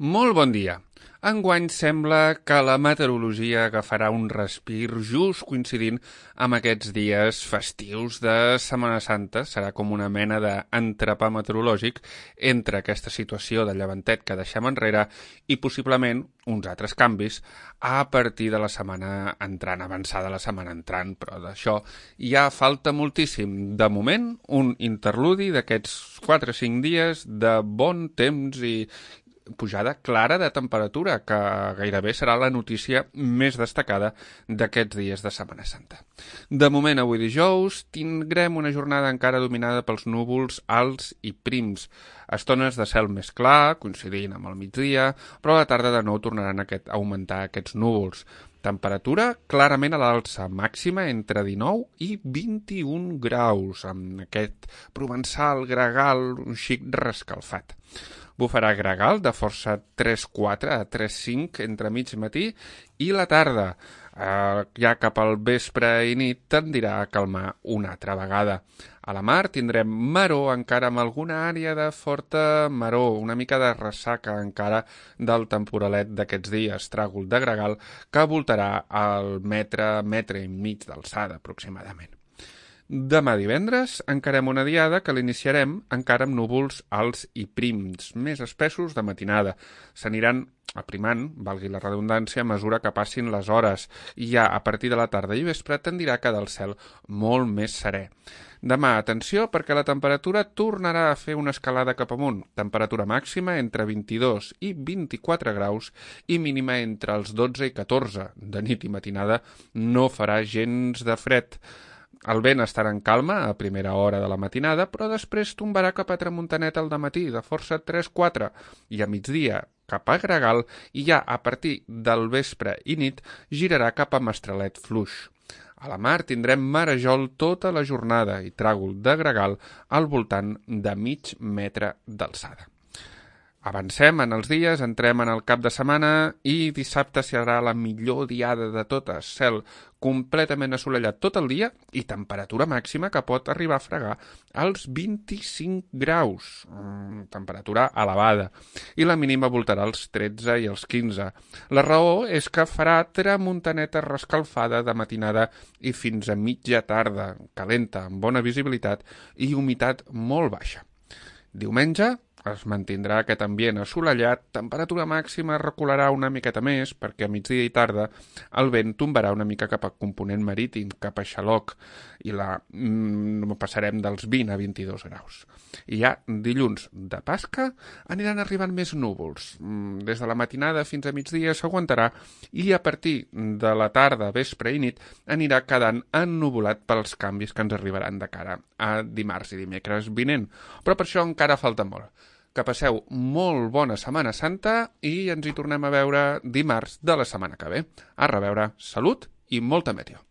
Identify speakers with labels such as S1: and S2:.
S1: Molt bon dia. Enguany sembla que la meteorologia agafarà un respir just coincidint amb aquests dies festius de Setmana Santa. Serà com una mena d'entrepà meteorològic entre aquesta situació de llevantet que deixem enrere i possiblement uns altres canvis a partir de la setmana entrant, avançada la setmana entrant, però d'això ja falta moltíssim. De moment, un interludi d'aquests 4 o 5 dies de bon temps i pujada clara de temperatura, que gairebé serà la notícia més destacada d'aquests dies de Setmana Santa. De moment, avui dijous, tindrem una jornada encara dominada pels núvols alts i prims. Estones de cel més clar, coincidint amb el migdia, però a la tarda de nou tornaran a augmentar aquests núvols. Temperatura clarament a l'alça, màxima entre 19 i 21 graus, amb aquest provençal gregal un xic rescalfat. Bufarà gregal de força 3-4 a 3-5 entre mig matí i la tarda. Ja cap al vespre i nit tendirà a calmar una altra vegada. A la mar tindrem maror encara amb alguna àrea de forta maror, una mica de ressaca encara del temporalet d'aquests dies, tràgol de gregal que voltarà al metre i mig d'alçada aproximadament. Demà divendres encarem una diada que l'iniciarem encara amb núvols alts i prims, més espessos de matinada. S'aniran aprimant, valgui la redundància, a mesura que passin les hores i ja a partir de la tarda i vespre tendirà a quedar el cel molt més serè. Demà, atenció, perquè la temperatura tornarà a fer una escalada cap amunt. Temperatura màxima entre 22 i 24 graus i mínima entre els 12 i 14. De nit i matinada no farà gens de fred. El vent estarà en calma a primera hora de la matinada, però després tombarà cap a tramuntanet al dematí, de força 3-4, i a migdia cap a gregal, i ja a partir del vespre i nit girarà cap a mestralet fluix. A la mar tindrem marejol tota la jornada i tràgol de gregal al voltant de mig metre d'alçada. Avancem en els dies, entrem en el cap de setmana i dissabte serà la millor diada de totes. Cel completament assolellat tot el dia i temperatura màxima que pot arribar a fregar als 25 graus. Temperatura elevada. I la mínima voltarà als 13 i als 15. La raó és que farà tramuntaneta rescalfada de matinada i fins a mitja tarda, calenta, amb bona visibilitat i humitat molt baixa. Diumenge es mantindrà aquest ambient assolellat, temperatura màxima recularà una miqueta més perquè a migdia i tarda el vent tombarà una mica cap a component marítim, cap a Xaloc, i passarem dels 20 a 22 graus. I ja dilluns de Pasca aniran arribant més núvols. Des de la matinada fins a migdia s'aguantarà i a partir de la tarda, vespre i nit anirà quedant ennuvolat pels canvis que ens arribaran de cara a dimarts i dimecres vinent. Però per això encara falta molt. Que passeu molt bona Setmana Santa i ens hi tornem a veure dimarts de la setmana que ve. A reveure, salut i molta meteo.